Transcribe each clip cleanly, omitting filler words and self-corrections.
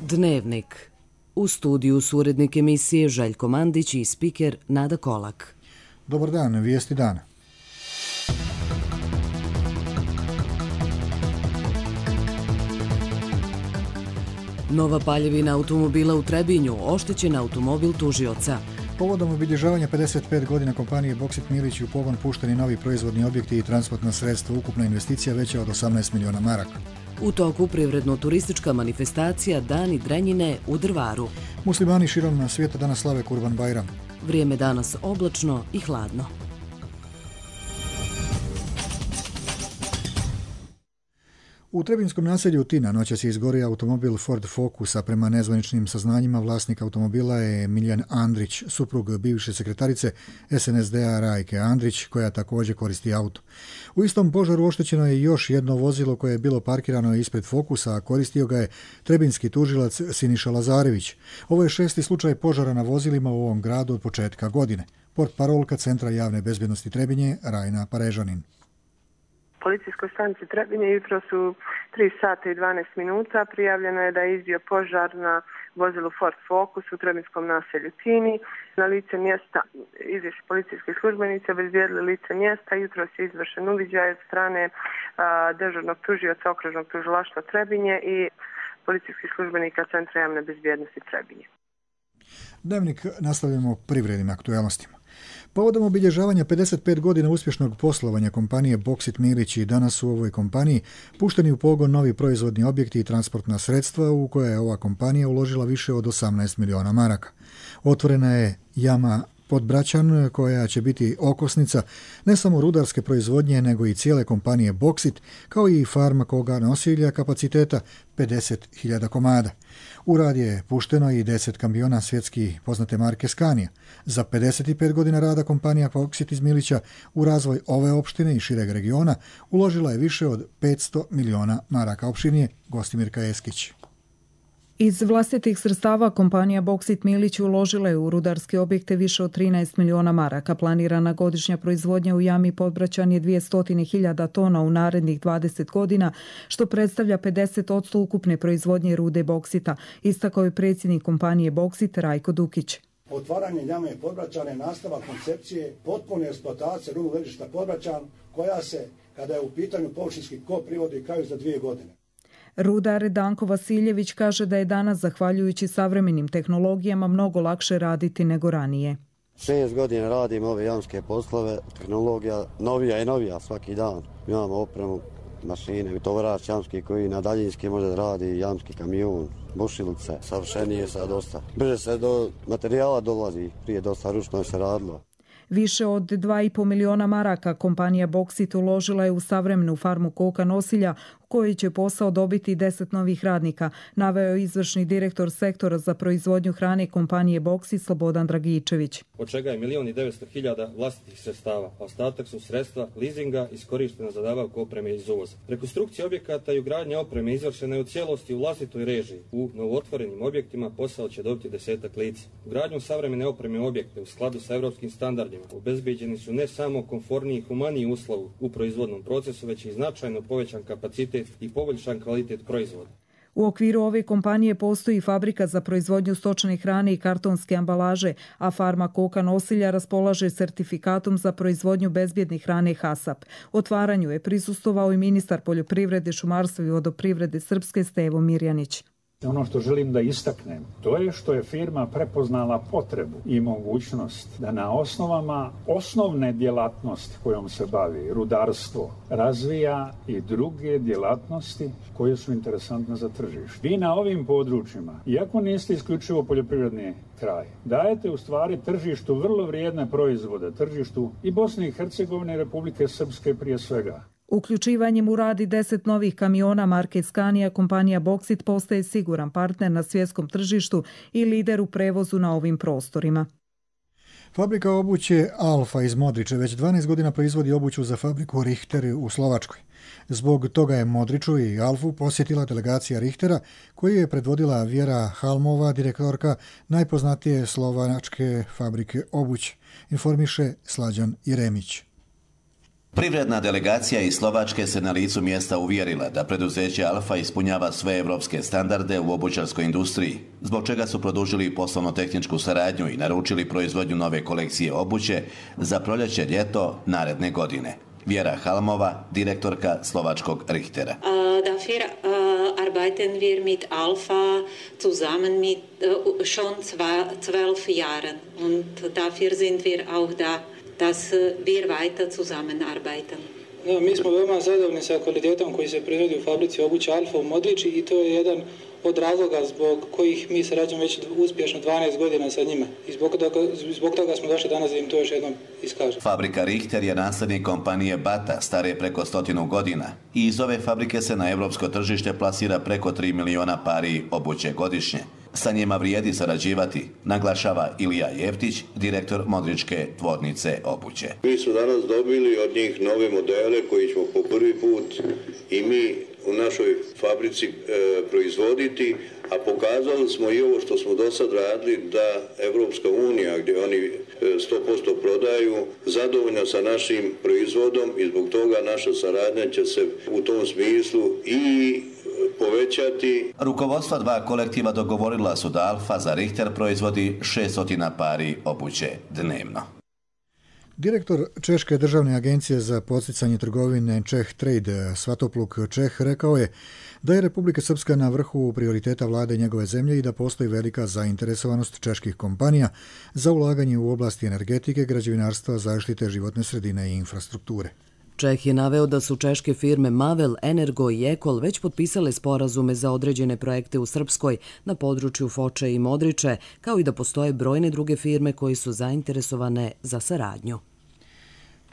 Dnevnik. U studiju su urednik emisije Željko Mandić i spiker Nada Kolak. Dobar dan, vijesti dana. Nova paljevina automobila u Trebinju, oštećen automobil tužioca. Povodom obilježavanja 55 godina kompanije Boksit Milić u pogon pušteni novi proizvodni objekti i transportna sredstva, ukupna investicija veća od 18 miliona maraka. U toku privredno-turistička manifestacija Dani Drenjine u Drvaru. Muslimani širom svijeta danas slave Kurban Bajram. Vrijeme danas oblačno i hladno. U trebinskom naselju Tina noćas je izgorio automobil Ford Focus, a prema nezvaničnim saznanjima vlasnik automobila je Miljan Andrić, suprug bivše sekretarice SNSD-a Rajke Andrić, koja također koristi auto. U istom požaru oštećeno je još jedno vozilo koje je bilo parkirano ispred Focusa, a koristio ga je trebinski tužilac Siniša Lazarević. Ovo je 6. slučaj požara na vozilima u ovom gradu od početka godine. Portparolka Centra javne bezbjednosti Trebinje, Rajna Parežanin. Policijskoj stanici Trebinje jutro su 3 sata i 12 minuta. Prijavljeno je da je izbio požar na vozilu Ford Focus u trebinskom naselju Tini. Na lice mjesta izišli policijski službenici, obezbijedili lice mjesta. Jutro je izvršen uviđaj od strane dežurnog tužioca okružnog tužilaštva Trebinje i policijskih službenika Centra javne bezbjednosti Trebinje. Dnevnik nastavljamo privrednim aktualnostima. Povodom obilježavanja 55 godina uspješnog poslovanja kompanije Boksit Milić i danas su u ovoj kompaniji pušteni u pogon novi proizvodni objekti i transportna sredstva u koje je ova kompanija uložila više od 18 miliona maraka. Otvorena je jama Podbraćan koja će biti okosnica ne samo rudarske proizvodnje nego i cijele kompanije Boksit, kao i farma koga nosilja kapaciteta 50.000 komada. U rad je pušteno i 10 kamiona svjetski poznate marke Scania. Za 55 godina rada kompanija Boksit iz Milića u razvoj ove opštine i šireg regiona uložila je više od 500 miliona maraka. Opširnije Gostimirka Eskić. Iz vlastitih sredstava kompanija Boksit Milić uložila je u rudarske objekte više od 13 miliona maraka. Planirana godišnja proizvodnja u jami Podbraćan je 200.000 tona u narednih 20 godina, što predstavlja 50% ukupne proizvodnje rude boksita, istakao je predsjednik kompanije Boksit Rajko Dukić. Otvaranje jame Podbraćan je nastavak koncepcije potpune eksploatacije rudnog ležišta Podbraćan, koja se, kada je u pitanju površinski kop, privodi kraju za 2 godine. Rudar Danko Vasiljević kaže da je danas, zahvaljujući savremenim tehnologijama, mnogo lakše raditi nego ranije. 6 godina radim ove jamske poslove, tehnologija novija i novija svaki dan. Imamo opremu, mašine, tovarač jamski koji na daljinski može da radi, jamski kamion, bušilice, savršenije sad dosta. Brže se do materijala dolazi, prije dosta ručno se radilo. Više od 2,5 miliona maraka kompanija Boksit uložila je u savremenu farmu koka nosilja u kojoj će posao dobiti 10 novih radnika, naveo je izvršni direktor sektora za proizvodnju hrane kompanije Boksit Slobodan Dragičević. Od čega je 1.900.000 vlastitih sredstava, a ostatak su sredstva leasinga iskorištena za nabavku opreme iz uvoza. Rekonstrukcija objekata i ugradnja opreme izvršena je u cijelosti u vlastitoj režiji. U novootvorenim objektima posao će dobiti 10 lica. Ugradnjom savremene opreme objekte u skladu sa evropskim standardima obezbeđeni su ne samo komforniji i humaniji uslovi u proizvodnom procesu, već i značajno povećan kapacitet i poboljšan kvalitet proizvoda. U okviru ove kompanije postoji fabrika za proizvodnju stočne hrane i kartonske ambalaže, a farma koka nosilja raspolaže sertifikatom za proizvodnju bezbjedne hrane HASAP. Otvaranju je prisustvovao i ministar poljoprivrede, šumarstva i vodoprivrede Srpske Stevo Mirjanić. Ono što želim da istaknem, to je što je firma prepoznala potrebu i mogućnost da na osnovama osnovne djelatnosti kojom se bavi, rudarstvo, razvija i druge djelatnosti koje su interesantne za tržište. Vi na ovim područjima, iako niste isključivo poljoprivredni kraj, dajete u stvari tržištu vrlo vrijedne proizvode, tržištu i Bosne i Hercegovine i Republike Srpske prije svega. Uključivanjem u rad 10 novih kamiona marke Scania, kompanija Boksit postaje siguran partner na svjetskom tržištu i lider u prevozu na ovim prostorima. Fabrika obuće Alfa iz Modriče već 12 godina proizvodi obuću za fabriku Richter u Slovačkoj. Zbog toga je Modriču i Alfu posjetila delegacija Richtera, koju je predvodila Vjera Halmova, direktorka najpoznatije slovačke fabrike obuće, informiše Slađan Jeremić. Privredna delegacija iz Slovačke se na licu mjesta uvjerila da preduzeće Alfa ispunjava sve evropske standarde u obućarskoj industriji, zbog čega su produžili poslovno-tehničku saradnju i naručili proizvodnju nove kolekcije obuće za proljeće-ljeto naredne godine. Vjera Halmova, direktorka slovačkog Richtera. Dafür arbeiten wir mit Alfa zusammen mit schon 12 Jahren und dafür sind wir auch da, dass wir weiter zusammenarbeiten. Da, mi smo veoma zadovoljni sa kvalitetom koji se proizvodi u fabrici obuće Alfa u Modriči i to je jedan od razloga zbog kojih mi sarađujemo već uspješno 12 godina sa njima. I zbog toga smo došli danas da im to još jednom iskažemo. Fabrika Richter je naslednik kompanije Bata, stare preko 100 godina. I iz ove fabrike se na evropsko tržište plasira preko 3 miliona pari obuće godišnje. Sa njima vrijedi sarađivati, naglašava Ilija Jeftić, direktor Modričke tvornice obuće. Mi smo danas dobili od njih nove modele koji ćemo po prvi put i mi u našoj fabrici proizvoditi, a pokazali smo i ovo što smo do sad radili da Evropska unija, gdje oni 100% prodaju, zadovoljna sa našim proizvodom i zbog toga naša saradnja će se u tom smislu i povećati. Rukovodstva dva kolektiva dogovorila su da Alfa za Richter proizvodi 600 pari obuće dnevno. Direktor Češke državne agencije za podsticanje trgovine Czech Trade Svatopluk Čeh rekao je da je Republika Srpska na vrhu prioriteta vlade njegove zemlje i da postoji velika zainteresovanost čeških kompanija za ulaganje u oblasti energetike, građevinarstva, zaštite životne sredine i infrastrukture. Čeh je naveo da su češke firme Mavel, Energo i Ekol već potpisale sporazume za određene projekte u Srpskoj na području Foče i Modriče, kao i da postoje brojne druge firme koje su zainteresovane za saradnju.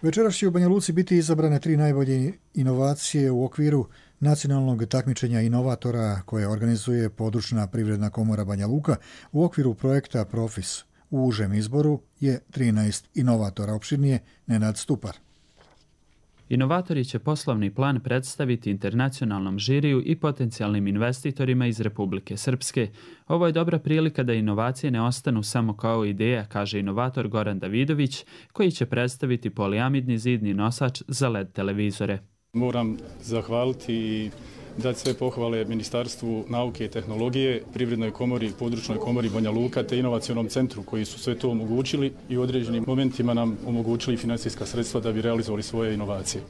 Večeras će u Banja Luci biti izabrane 3 najbolje inovacije u okviru nacionalnog takmičenja inovatora koje organizuje područna privredna komora Banja Luka u okviru projekta Profis. U užem izboru je 13 inovatora, opširnije Nenad Stupar. Inovatori će poslovni plan predstaviti internacionalnom žiriju i potencijalnim investitorima iz Republike Srpske. Ovo je dobra prilika da inovacije ne ostanu samo kao ideja, kaže inovator Goran Davidović, koji će predstaviti poliamidni zidni nosač za LED televizore. Moram zahvaliti i dati sve pohvale Ministarstvu nauke i tehnologije, Privrednoj komori, Područnoj komori Banja Luka te inovacionom centru koji su sve to omogućili i u određenim momentima nam omogućili financijska sredstva da bi realizovali svoje inovacije.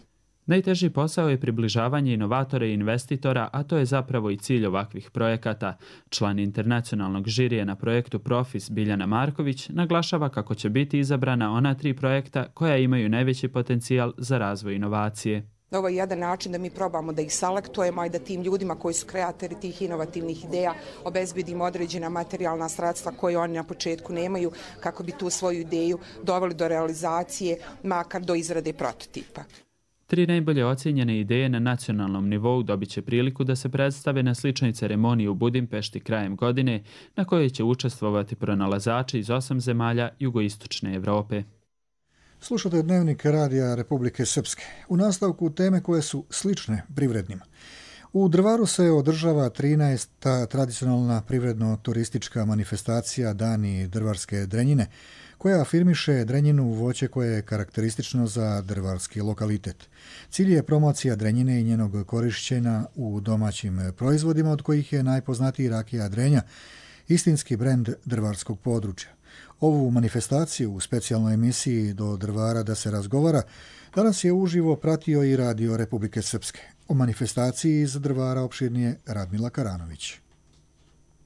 Najteži posao je približavanje inovatora i investitora, a to je zapravo i cilj ovakvih projekata. Član internacionalnog žirije na projektu Profis Biljana Marković naglašava kako će biti izabrana ona 3 projekta koja imaju najveći potencijal za razvoj inovacije. Ovo je jedan način da mi probamo da ih selektujemo i da tim ljudima koji su kreatori tih inovativnih ideja obezbedimo određena materijalna sredstva koje oni na početku nemaju kako bi tu svoju ideju doveli do realizacije, makar do izrade prototipa. 3 najbolje ocijenjene ideje na nacionalnom nivou dobit će priliku da se predstave na sličnoj ceremoniji u Budimpešti krajem godine, na kojoj će učestvovati pronalazači iz 8 zemalja jugoistočne Evrope. Slušate Dnevnik radija Republike Srpske. U nastavku teme koje su slične privrednima. U Drvaru se održava 13. tradicionalna privredno-turistička manifestacija Dani drvarske drenjine, koja afirmiše drenjinu voće koje je karakteristično za drvarski lokalitet. Cilj je promocija drenjine i njenog korišćenja u domaćim proizvodima, od kojih je najpoznatiji rakija Drenja, istinski brend drvarskog područja. Ovu manifestaciju u specijalnoj emisiji Do Drvara da se razgovara danas je uživo pratio i Radio Republike Srpske. O manifestaciji iz Drvara opširnije Radmila Karanović.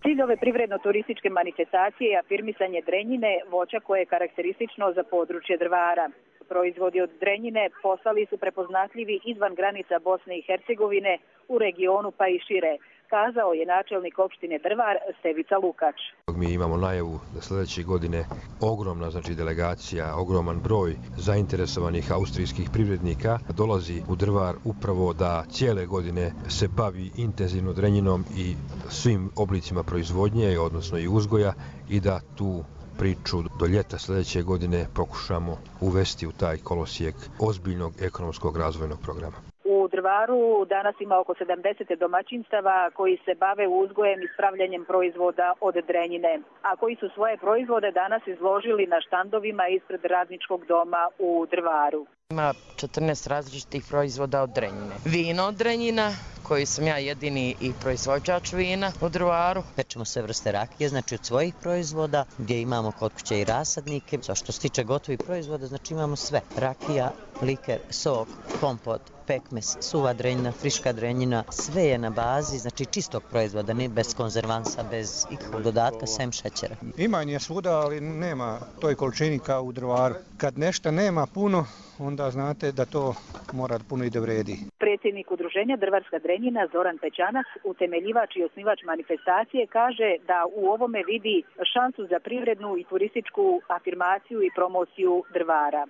Cilj ove privredno-turističke manifestacije je afirmisanje drenjine, voća koje je karakteristično za područje Drvara. Proizvodi od drenjine postali su prepoznatljivi izvan granica Bosne i Hercegovine, u regionu pa i šire, kazao je načelnik opštine Drvar Stevica Lukač. Mi imamo najavu da sljedeće godine ogromna delegacija, ogroman broj zainteresovanih austrijskih privrednika dolazi u Drvar upravo da cijele godine se bavi intenzivno drenjinom i svim oblicima proizvodnje, odnosno i uzgoja, i da tu priču do ljeta sljedeće godine pokušamo uvesti u taj kolosijek ozbiljnog ekonomskog razvojnog programa. U Drvaru danas ima oko 70 domaćinstava koji se bave uzgojem i spravljanjem proizvoda od drenjine, a koji su svoje proizvode danas izložili na štandovima ispred Radničkog doma u Drvaru. Ima 14 različitih proizvoda od Drenjine. Vino od Drenjina, koji sam ja jedini i proizvođač vina u Drvaru. Pečemo sve vrste rakije, znači od svojih proizvoda, gdje imamo kod kuće i rasadnike. Što se tiče gotovih proizvoda, znači imamo sve. Rakija, liker, sok, kompot, pekmes, suva drenjina, friška drenjina, sve je na bazi, znači čistog proizvoda, ne bez konzervansa, bez ikakvog dodatka, sem šećera. Ima je svuda, ali nema toj količini kao u Drvaru. Kad nešto nema puno, onda znate da to mora puno i da vredi. Predsjednik udruženja Drvarska Drenjina Zoran Pećanak, utemeljivač i osnivač manifestacije, kaže da u ovome vidi šansu za privrednu i turističku afirmaciju i promociju Drvara.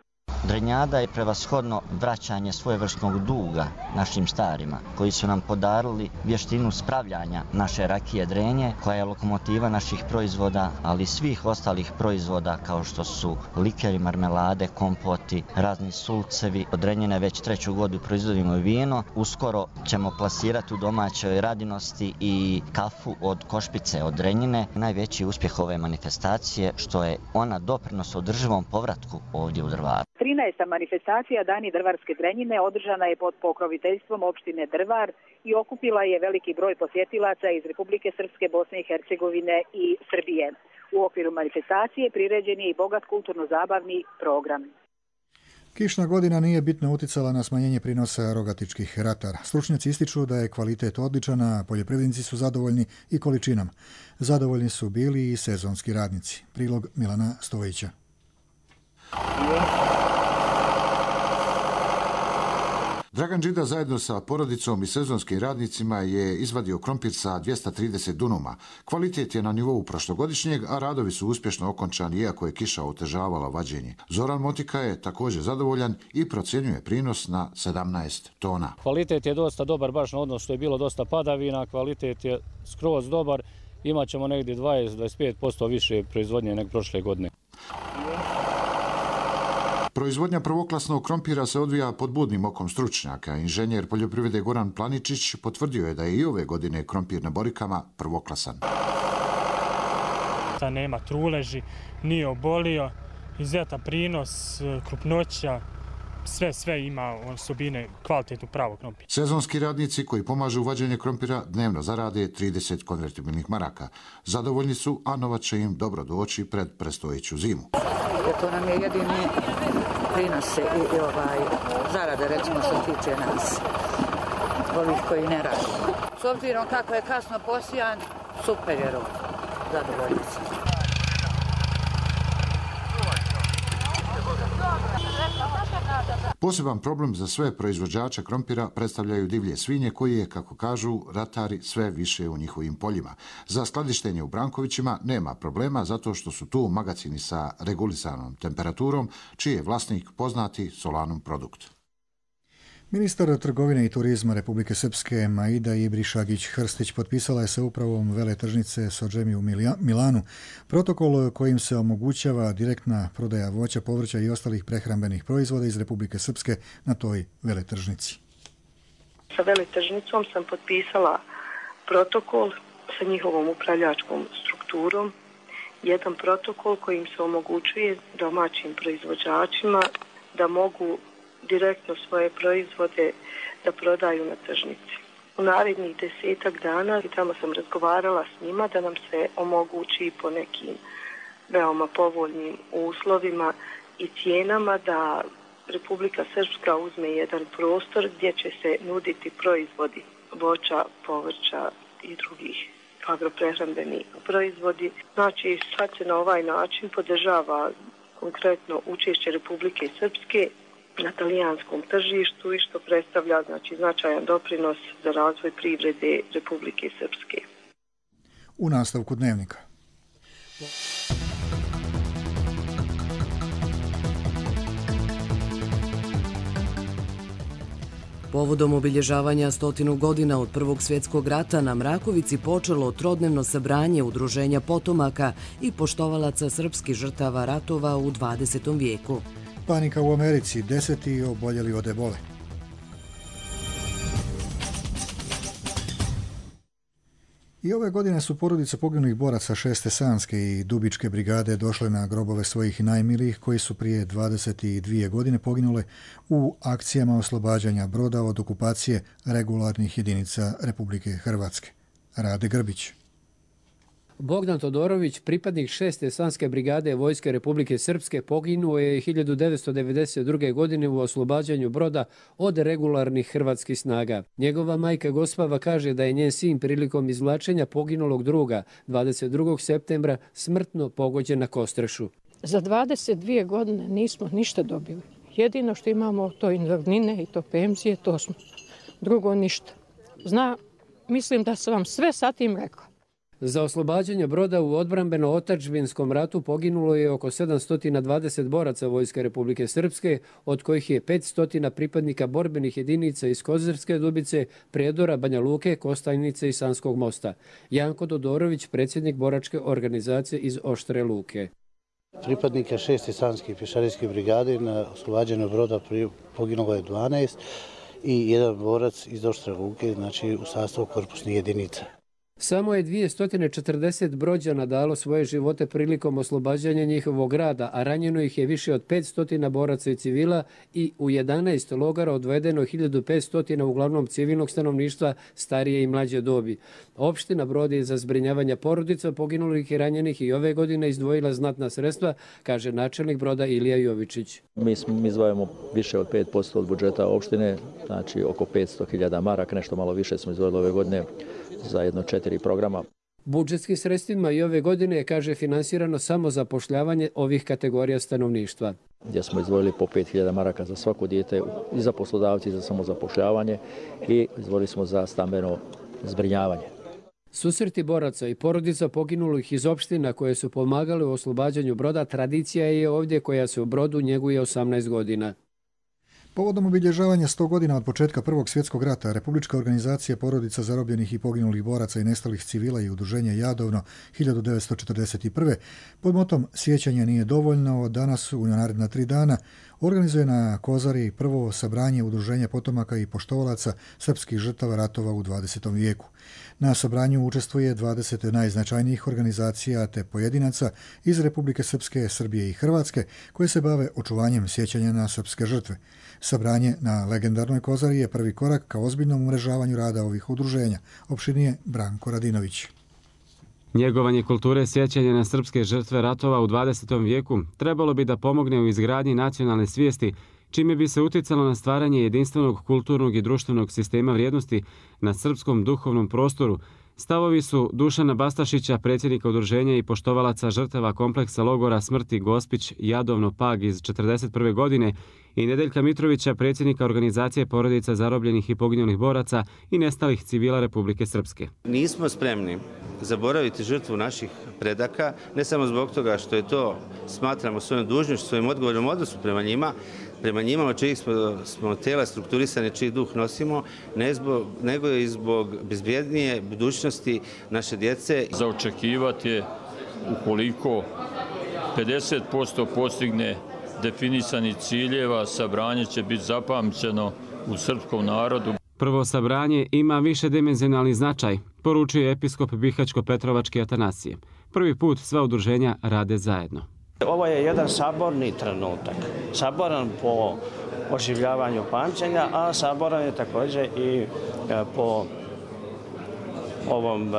Drenjada je prevashodno vraćanje svojevrsnog duga našim starima, koji su nam podarili vještinu spravljanja naše rakije Drenje, koja je lokomotiva naših proizvoda, ali i svih ostalih proizvoda kao što su likeri, marmelade, kompoti, razni sulcevi. Od Drenjine već 3. godinu proizvodimo vino. Uskoro ćemo plasirati u domaćoj radinosti i kafu od Košpice od Drenjine. Najveći uspjeh ove manifestacije što je ona doprinos održivom povratku ovdje u Drvaru. 13. manifestacija Dani Drvarske Drenjine održana je pod pokroviteljstvom opštine Drvar i okupila je veliki broj posjetilaca iz Republike Srpske, Bosne i Hercegovine i Srbije. U okviru manifestacije priređen je i bogat kulturno-zabavni program. Kišna godina nije bitno uticala na smanjenje prinosa rogatičkih ratara. Stručnjaci ističu da je kvalitet odličan, a poljoprivrednici su zadovoljni i količinom. Zadovoljni su bili i sezonski radnici. Prilog Milana Stojića. Dragan Đida zajedno sa porodicom i sezonskim radnicima je izvadio krompir sa 230 dunuma. Kvalitet je na nivou prošlogodišnjeg, a radovi su uspješno okončani iako je kiša otežavala vađenje. Zoran Motika je također zadovoljan i procjenjuje prinos na 17 tona. Kvalitet je dosta dobar, baš na odnos što je bilo dosta padavina, kvalitet je skroz dobar. Imaćemo negdje 20-25% više proizvodnje nego prošle godine. Proizvodnja prvoklasnog krompira se odvija pod budnim okom stručnjaka. Inženjer poljoprivrede Goran Planičić potvrdio je da je i ove godine krompir na Borikama prvoklasan. Nema truleži, nije obolio, izuzetan prinos, krupnoća, sve ima osobine kvalitetnu pravog krompira. Sezonski radnici koji pomažu u vađenje krompira dnevno zarade 30 konvertibilnih maraka. Zadovoljni su, a novac će im dobro doći pred predstojeću zimu. To nam je jedini prinos i zarade, recimo, što tiče nas, ovih koji ne radi. S obzirom kako je kasno posijan, super je rok, zadovoljni sam. Poseban problem za sve proizvođače krompira predstavljaju divlje svinje koji je, kako kažu ratari, sve više u njihovim poljima. Za skladištenje u Brankovićima nema problema zato što su tu magacini sa regulisanom temperaturom, čiji je vlasnik poznati Solanum produkt. Ministar trgovine i turizma Republike Srpske Maida Ibrišagić-Hrstić potpisala je sa upravom veletržnice Sođemi u Milanu protokol kojim se omogućava direktna prodaja voća, povrća i ostalih prehrambenih proizvoda iz Republike Srpske na toj veletržnici. Sa veletržnicom sam potpisala protokol sa njihovom upravljačkom strukturom, jedan protokol kojim se omogućuje domaćim proizvođačima da mogu direktno svoje proizvode da prodaju na tržnici. U narednih 10 dana i tamo sam razgovarala s njima da nam se omogući po nekim veoma povoljnim uslovima i cijenama da Republika Srpska uzme jedan prostor gdje će se nuditi proizvodi voća, povrća i drugih agroprehrambeni proizvodi. Znači, sad se na ovaj način podržava konkretno učešće Republike Srpske na talijanskom tržištu i što predstavlja značajan doprinos za razvoj privrede Republike Srpske. U nastavku dnevnika. Povodom obilježavanja 100 godina od Prvog svjetskog rata na Mrakovici počelo trodnevno sabranje udruženja potomaka i poštovalaca srpskih žrtava ratova u 20. vijeku. Panika u Americi, 10 oboljeli od ebole. I ove godine su porodice poginulih boraca 6. Sanske i Dubičke brigade došle na grobove svojih najmilijih koji su prije 22 godine poginule u akcijama oslobađanja Broda od okupacije regularnih jedinica Republike Hrvatske. Rade Grbić. Bogdan Todorović, pripadnik 6. Sanske brigade Vojske Republike Srpske, poginuo je 1992. godine u oslobađanju Broda od regularnih hrvatskih snaga. Njegova majka Gospava kaže da je njen sin prilikom izvlačenja poginulog druga 22. septembra smrtno pogođen na Kostrešu. Za 22 godine nismo ništa dobili. Jedino što imamo to invalidnine i to penzije, to smo. Drugo ništa. Mislim da sam vam sve sa tim rekla. Za oslobađanje Broda u odbrambeno-otadžbinskom ratu poginulo je oko 720 boraca Vojske Republike Srpske, od kojih je 500 pripadnika borbenih jedinica iz Kozarske Dubice, Prijedora, Banja Luke, Kostajnice i Sanskog mosta. Janko Todorović, predsjednik boračke organizacije iz Oštre Luke. Pripadnika 6. Sanske pješadijske brigade na oslobađanju Broda poginulo je 12 i jedan borac iz Oštre Luke, znači u sastavu korpusnih jedinica. Samo je 240 Brođana dalo svoje živote prilikom oslobađanja njihovog grada, a ranjeno ih je više od 500 boraca i civila i u 11 logara odvedeno 1500 uglavnom civilnog stanovništva starije i mlađe dobi. Opština Brod je za zbrinjavanje porodica poginulih i ranjenih i ove godine izdvojila znatna sredstva, kaže načelnik Broda Ilija Jovičić. Mi izdvajamo više od 5% od budžeta opštine, znači oko 500.000 maraka, nešto malo više smo izdvojili ove godine za jedno 4 programa. Budžetskim sredstvima i ove godine je, kaže, finansirano samo zapošljavanje ovih kategorija stanovništva. Gdje smo izdvojili po 5.000 maraka za svako dijete i za poslodavci i za samozapošljavanje i izdvojili smo za stambeno zbrinjavanje. Susreti boraca i porodica poginulih iz opština koje su pomagale u oslobađanju Broda tradicija je ovdje koja se u Brodu njeguje 18 godina. Povodom obilježavanja 100 godina od početka Prvog svjetskog rata, Republička organizacija porodica zarobljenih i poginulih boraca i nestalih civila i udruženje Jadovno 1941. pod motom Sjećanje nije dovoljno od danas u naredna 3 dana organizuje na Kozari prvo sabranje udruženja potomaka i poštovalaca srpskih žrtava ratova u 20. vijeku. Na sabranju učestvuje 20 najznačajnijih organizacija te pojedinaca iz Republike Srpske, Srbije i Hrvatske koje se bave očuvanjem sjećanja na srpske žrtve. Sabranje na legendarnoj Kozari je prvi korak ka ozbiljnom umrežavanju rada ovih udruženja, opširnije Branko Radinović. Njegovanje kulture sjećanja na srpske žrtve ratova u 20. vijeku trebalo bi da pomogne u izgradnji nacionalne svijesti, čime bi se uticalo na stvaranje jedinstvenog kulturnog i društvenog sistema vrijednosti na srpskom duhovnom prostoru. Stavovi su Dušana Bastašića, predsjednika udruženja i poštovalaca žrtava kompleksa logora smrti Gospić Jadovno Pag iz 1941. godine i Nedeljka Mitrovića, predsjednika organizacije porodica zarobljenih i poginulih boraca i nestalih civila Republike Srpske. Nismo spremni zaboraviti žrtvu naših predaka, ne samo zbog toga što je to, smatramo svojom dužnošću, svojim odgovornom odnosu prema njima od čijih smo tela strukturisane, čiji duh nosimo, nego i zbog bezbjednije budućnosti naše djece. Za očekivati je, ukoliko 50% postigne definisani ciljeva, sabranje će biti zapamćeno u srpskom narodu. Prvo sabranje ima višedimenzionalni značaj, poručuje episkop Bihaćko-Petrovački Atanasije. Prvi put sva udruženja rade zajedno. Ovo je jedan saborni trenutak. Saboran po oživljavanju pamćenja, a saboran je također i po ovom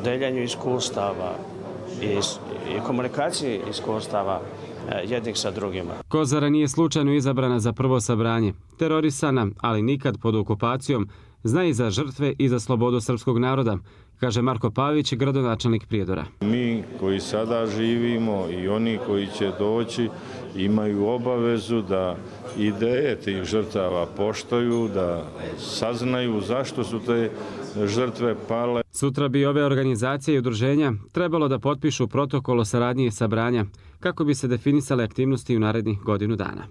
deljenju iskustava i komunikaciji iskustava jednih sa drugima. Kozara nije slučajno izabrana za prvo sabranje. Terorisana, ali nikad pod okupacijom, zna i za žrtve i za slobodu srpskog naroda, kaže Marko Pavić, gradonačelnik Prijedora. Mi koji sada živimo i oni koji će doći imaju obavezu da ideje tih žrtava poštuju, da saznaju zašto su te žrtve pale. Sutra bi ove organizacije i udruženja trebalo da potpišu protokol o saradnji i sabranja kako bi se definisale aktivnosti u narednih godinu dana.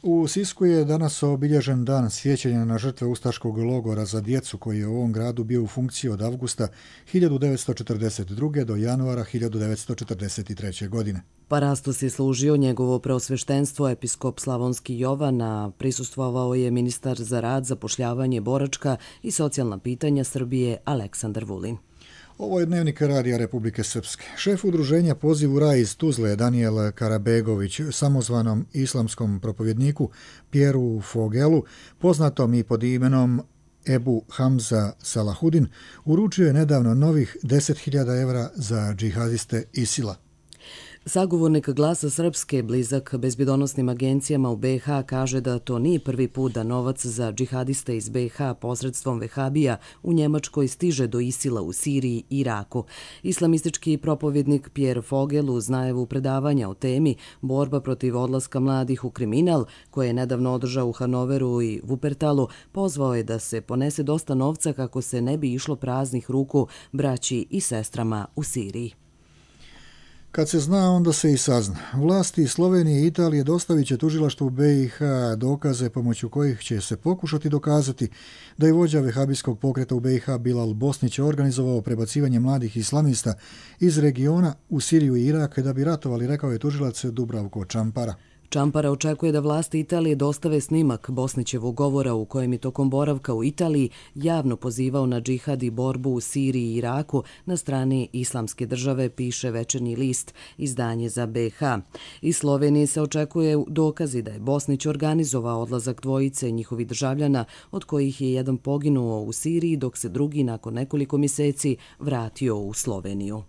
U Sisku je danas obilježen dan sjećanja na žrtve ustaškog logora za djecu koji je u ovom gradu bio u funkciji od avgusta 1942. do januara 1943. godine. Parastos je služio njegovo preosveštenstvo episkop Slavonski Jovan, a prisustvovao je ministar za rad, zapošljavanje, boračka i socijalna pitanja Srbije Aleksandar Vulin. Ovo je dnevnik Radija Republike Srpske. Šef udruženja Poziv u raj iz Tuzle Danijel Karabegović samozvanom islamskom propovjedniku Pieru Fogelu, poznatom i pod imenom Ebu Hamza Salahudin, uručio je nedavno novih 10.000 evra za džihadiste ISIL-a. Sagovornik Glasa Srpske, blizak bezbjedonosnim agencijama u BiH, kaže da to nije prvi put da novac za džihadiste iz BiH posredstvom vehabija u Njemačkoj stiže do ISIL-a u Siriji i Iraku. Islamistički propovjednik Pierre Fogel uz najavu predavanja o temi borba protiv odlaska mladih u kriminal, koje je nedavno održao u Hanoveru i Wuppertalu, pozvao je da se ponese dosta novca kako se ne bi išlo praznih ruku braći i sestrama u Siriji. Kad se zna, onda se i sazna. Vlasti Slovenije i Italije dostavit će tužilaštvu BiH dokaze pomoću kojih će se pokušati dokazati da je vođa vehabijskog pokreta u BiH Bilal Bosnić organizovao prebacivanje mladih islamista iz regiona u Siriju i Irak da bi ratovali, rekao je tužilac Dubravko Čampara. Čampara očekuje da vlasti Italije dostave snimak Bosnićevog govora u kojem je tokom boravka u Italiji javno pozivao na džihad i borbu u Siriji i Iraku na strani Islamske države, piše Večernji list, izdanje za BiH. Iz Slovenije se očekuje dokazi da je Bosnić organizovao odlazak dvojice njihovih državljana, od kojih je jedan poginuo u Siriji, dok se drugi nakon nekoliko mjeseci vratio u Sloveniju.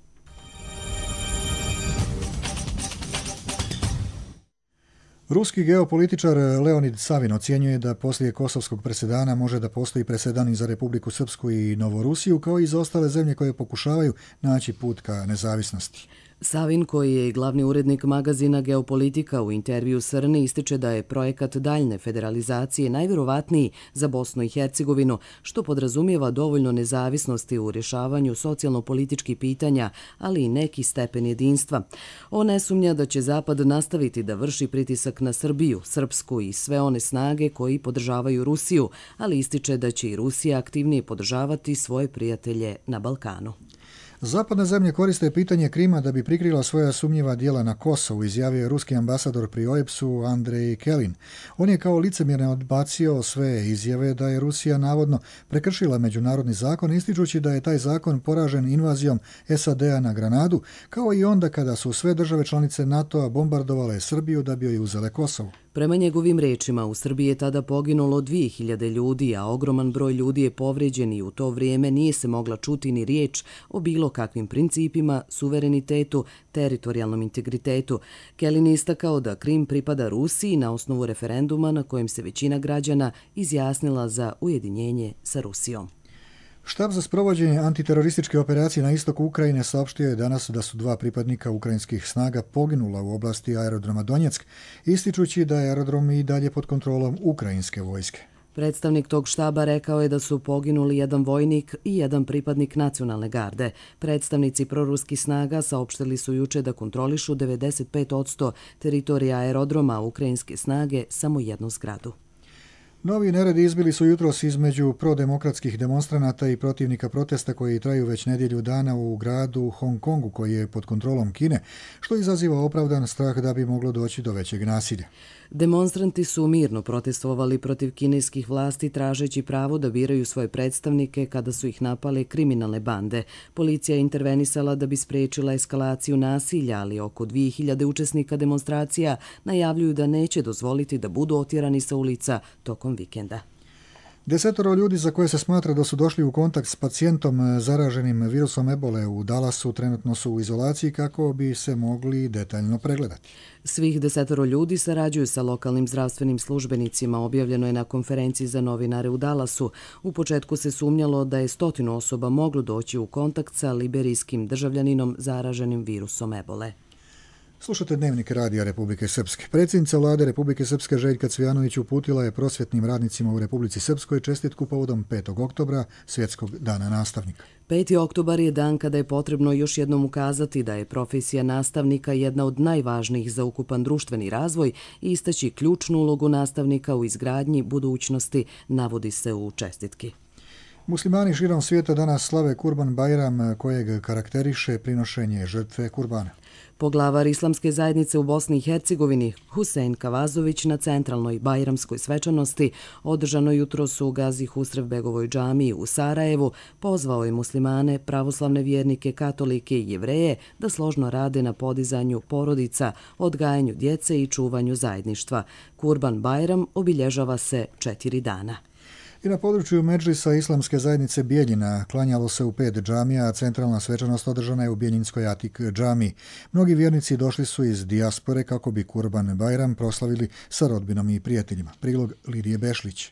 Ruski geopolitičar Leonid Savin ocjenjuje da poslije kosovskog presedana može da postoji presedan i za Republiku Srpsku i Novorusiju, kao i za ostale zemlje koje pokušavaju naći put ka nezavisnosti. Savin, koji je glavni urednik magazina Geopolitika, u intervju Srni ističe da je projekat daljne federalizacije najvjerovatniji za Bosnu i Hercegovinu, što podrazumijeva dovoljno nezavisnosti u rješavanju socijalno-političkih pitanja, ali i neki stepen jedinstva. On ne sumnja da će Zapad nastaviti da vrši pritisak na Srbiju, Srpsku i sve one snage koji podržavaju Rusiju, ali ističe da će i Rusija aktivnije podržavati svoje prijatelje na Balkanu. Zapadne zemlje koriste pitanje Krima da bi prikrila svoja sumnjiva djela na Kosovu, izjavio je ruski ambasador pri OEBS-u Andrej Kelin. On je kao licemjerno odbacio sve izjave da je Rusija navodno prekršila međunarodni zakon, ističući da je taj zakon poražen invazijom SAD-a na Granadu, kao i onda kada su sve države članice NATO-a bombardovale Srbiju da bi joj uzele Kosovo. Prema njegovim rečima, u Srbiji je tada poginulo 2000 ljudi, a ogroman broj ljudi je povrijeđen i u to vrijeme nije se mogla čuti ni riječ o bilo kakvim principima, suverenitetu, teritorijalnom integritetu. Kelin je istakao da Krim pripada Rusiji na osnovu referenduma na kojem se većina građana izjasnila za ujedinjenje sa Rusijom. Štab za sprovođenje antiterorističke operacije na istoku Ukrajine saopštio je danas da su 2 pripadnika ukrajinskih snaga poginula u oblasti aerodroma Donjeck, ističući da je aerodrom i dalje pod kontrolom ukrajinske vojske. Predstavnik tog štaba rekao je da su poginuli jedan vojnik i jedan pripadnik nacionalne garde. Predstavnici proruskih snaga saopštili su juče da kontrolišu 95% teritorija aerodroma, a ukrajinske snage samo jednu zgradu. Novi neredi izbili su jutros između prodemokratskih demonstranata i protivnika protesta koji traju već nedjelju dana u gradu Hong Kongu, koji je pod kontrolom Kine, što izaziva opravdan strah da bi moglo doći do većeg nasilja. Demonstranti su mirno protestovali protiv kineskih vlasti tražeći pravo da biraju svoje predstavnike kada su ih napale kriminalne bande. Policija je intervenisala da bi spriječila eskalaciju nasilja, ali oko 2000 učesnika demonstracija najavljuju da neće dozvoliti da budu otjerani sa ulica tokom vikenda. 10 ljudi za koje se smatra da su došli u kontakt s pacijentom zaraženim virusom ebole u Dallasu trenutno su u izolaciji kako bi se mogli detaljno pregledati. Svih 10 ljudi sarađuju sa lokalnim zdravstvenim službenicima, objavljeno je na konferenciji za novinare u Dallasu. U početku se sumnjalo da je 100 osoba moglo doći u kontakt sa liberijskim državljaninom zaraženim virusom ebole. Slušate Dnevnik radija Republike Srpske. Predsjednica vlade Republike Srpske Željka Cvijanović uputila je prosvjetnim radnicima u Republici Srpskoj čestitku povodom 5. oktobra, Svjetskog dana nastavnika. 5. oktobar je dan kada je potrebno još jednom ukazati da je profesija nastavnika jedna od najvažnijih za ukupan društveni razvoj i istaći ključnu ulogu nastavnika u izgradnji budućnosti, navodi se u čestitki. Muslimani širom svijeta danas slave Kurban Bajram, kojeg karakteriše prinošenje žrtve kurbana. Poglavar Islamske zajednice u Bosni i Hercegovini, Husein Kavazović, na centralnoj bajramskoj svečanosti, održanoj jutros u Gazi Husrevbegovoj džamiji u Sarajevu, pozvao je muslimane, pravoslavne vjernike, katolike i jevreje da složno rade na podizanju porodica, odgajanju djece i čuvanju zajedništva. Kurban Bajram obilježava se 4 dana. I na području Medžlisa Islamske zajednice Bijeljina klanjalo se u 5 džamija, a centralna svečanost održana je u Bijeljinskoj Atik džamiji. Mnogi vjernici došli su iz dijaspore kako bi Kurban Bajram proslavili sa rodbinom i prijateljima. Prilog Lidije Bešlić.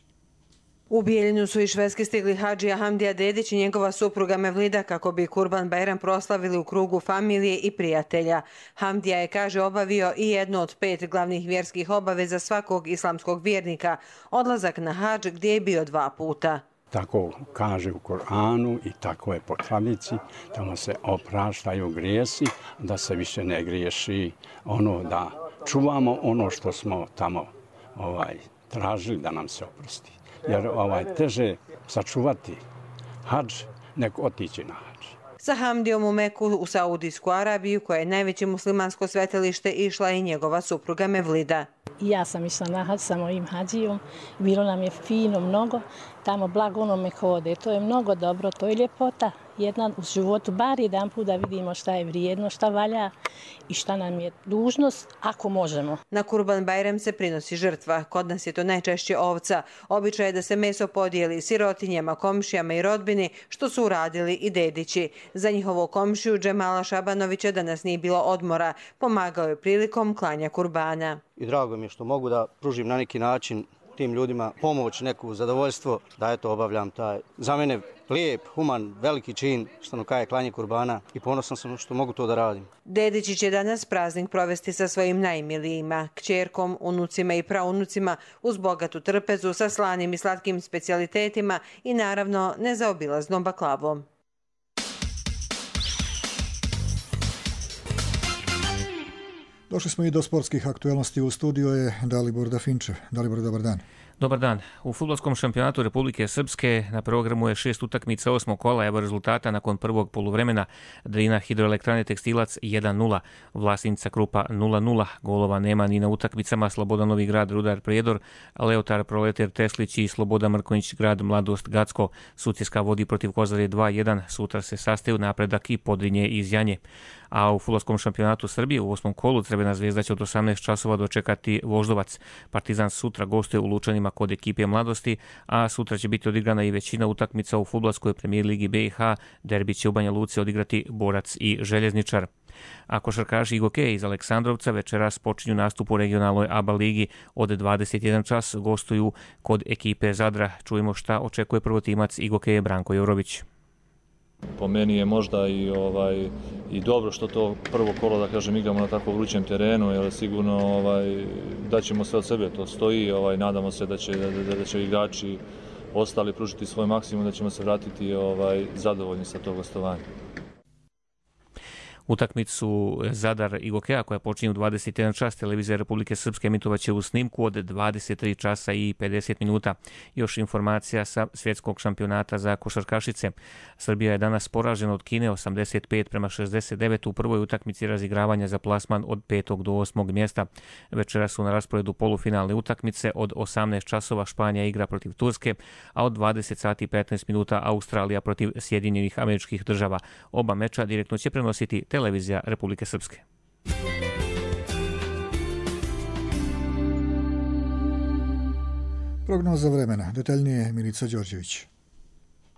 U Bijeljinu su iz Švedske stigli hadžija Hamdija Dedić i njegova supruga Mevlida kako bi Kurban Bajram proslavili u krugu familije i prijatelja. Hamdija je, kaže, obavio i jednu od 5 glavnih vjerskih obaveza svakog islamskog vjernika, odlazak na hadž gdje je bio 2 puta. Tako kaže u Koranu i tako je po tradici, tamo se opraštaju grijesi, da se više ne griješi, da čuvamo ono što smo tamo tražili da nam se oprosti. Jer teže sačuvati hadž nego otići na hadž. Sa Hamdijom u Meku u Saudijsku Arabiju, koja je najveće muslimansko svetilište, išla i njegova supruga Mevlida. Ja sam išla na hadž sa mojim hadžijom, bilo nam je fino mnogo, tamo blago onome ko ode, to je mnogo dobro, to je ljepota. Jedna u životu, bar jedan put da vidimo šta je vrijedno, šta valja i šta nam je dužnost, ako možemo. Na Kurban Bajram se prinosi žrtva. Kod nas je to najčešće ovca. Običaj je da se meso podijeli sirotinjama, komšijama i rodbini, što su uradili i dedići. Za njihovo komšiju Džemala Šabanovića danas nije bilo odmora. Pomagao je prilikom klanja kurbana. I drago mi je što mogu da pružim na neki način tim ljudima pomoć, neku zadovoljstvo, da obavljam taj, za mene, lijep, human, veliki čin, što kaže klanje kurbana, i ponosan sam što mogu to da radim. Dedići će danas praznik provesti sa svojim najmilijima, kćerkom, unucima i praunucima, uz bogatu trpezu, sa slanim i slatkim specijalitetima i naravno nezaobilaznom baklavom. Došli smo i do sportskih aktualnosti. U studiju je Dalibor Dafinčev. Dalibor, dobar dan. Dobar dan. U fudbalskom šampionatu Republike Srpske na programu je 6 utakmica 8. kola. Evo rezultata nakon prvog poluvremena. Drina Hidroelektrane Tekstilac 1-0, Vlasinca Krupa 0-0. Golova nema ni na utakmicama Slobodan Novi Grad Rudar Prijedor, Leotar Proletar Teslić i Sloboda Mrkonjić Grad Mladost Gacko. Sutjeska vodi protiv Kozare 2-1. Sutra se sastaju Napredak i Podrinje iz Janje. A u fudbalskom šampionatu Srbije u 8. kolu Crvena zvezda će od 18 časova dočekati Voždovac. Partizan sutra gostuje u Lučanima kod ekipe Mladosti, a sutra će biti odigrana i većina utakmica u fudbalskoj premijer ligi BiH. Derbi će u Banja Luci odigrati Borac i Željezničar. A košarkaši i gokeji iz Aleksandrovca večeras počinju nastup u regionalnoj ABA ligi. Od 21 čas gostuju kod ekipe Zadra. Čujemo šta očekuje prvotimac i gokeje Branko Jovrović. Po meni je možda i dobro što to prvo kolo, da kažem, igramo na tako vrućem terenu, jer sigurno daćemo sve od sebe, to stoji, nadamo se da će igrači ostali pružiti svoj maksimum, da ćemo se vratiti zadovoljni sa tog gostovanja. Utakmicu Zadar i Gokeja koja počinje u 21 čas, televizija Republike Srpske emitovaće u snimku od 23 časa i 50 minuta. Još informacija sa svjetskog šampionata za košarkašice. Srbija je danas poražena od Kine 85-69 u prvoj utakmici razigravanja za plasman od 5. do 8. mjesta. Večera su na rasporedu polufinalne utakmice. Od 18 časova Španija igra protiv Turske, a od 20 sati i 15 minuta Australija protiv Sjedinjenih Američkih Država. Oba meča direktno će prenositi televizija Republike Srpske. Prognoza vremena. Detaljnije Milica Đorđević.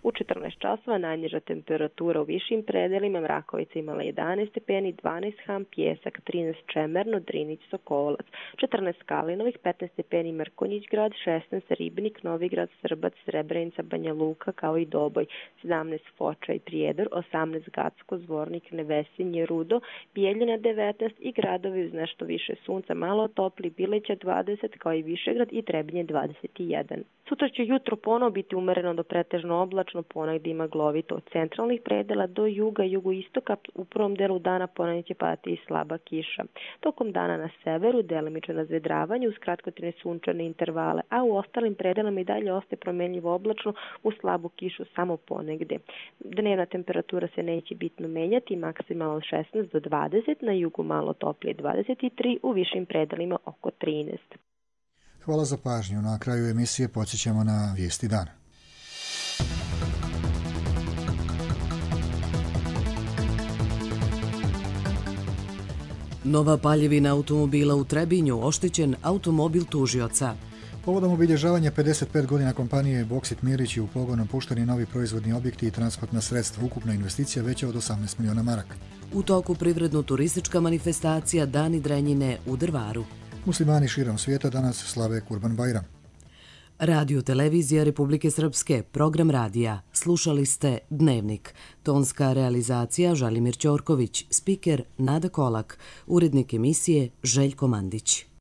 U 14 časova najniža temperatura u višim predelima, Mrakovica imala 11 stepeni, 12 Ham, Pjesak, 13 Čemerno, Drinić, Sokolac, 14 Kalinovih, 15 stepeni Mrkonjić grad, 16 Ribnik, Novigrad, Srbac, Srebrenica, Banja Luka kao i Doboj, 17 Foča i Prijedor, 18 Gacko, Zvornik, Nevesinje, Rudo, Bijeljina 19 i gradovi uz nešto više sunca, malo topli, Bileća 20 kao i Višegrad i Trebinje 21. Sutra će jutro ponovo biti umereno do pretežno oblačno, ponegdje ima glovito od centralnih predela do juga i jugoistoka. U prvom delu dana ponegdje će padati i slaba kiša. Tokom dana na severu delimično razvedravanje uz kratkotrajne sunčane intervale, a u ostalim predelama i dalje ostaje promjenljivo oblačno uz slabu kišu samo ponegdje. Dnevna temperatura se neće bitno menjati, maksimalno 16 do 20, na jugu malo toplije 23, u višim predelima oko 13. Hvala za pažnju. Na kraju emisije podsjećamo na vijesti dana. Nova paljevina automobila u Trebinju, oštećen automobil tužioca. Povodom obilježavanja 55 godina kompanije Boksit Mirić u pogonom pušteni novi proizvodni objekti i transportna sredstva. Ukupna investicija veća od 18 miliona maraka. U toku privredno-turistička manifestacija Dani Drenjine u Drvaru. Muslimani širom svijeta danas slave Kurban Bajram. Radio Televizija Republike Srpske, program radija. Slušali ste Dnevnik. Tonska realizacija Želimir Ćorković, spiker Nada Kolak, urednik emisije Željko Mandić.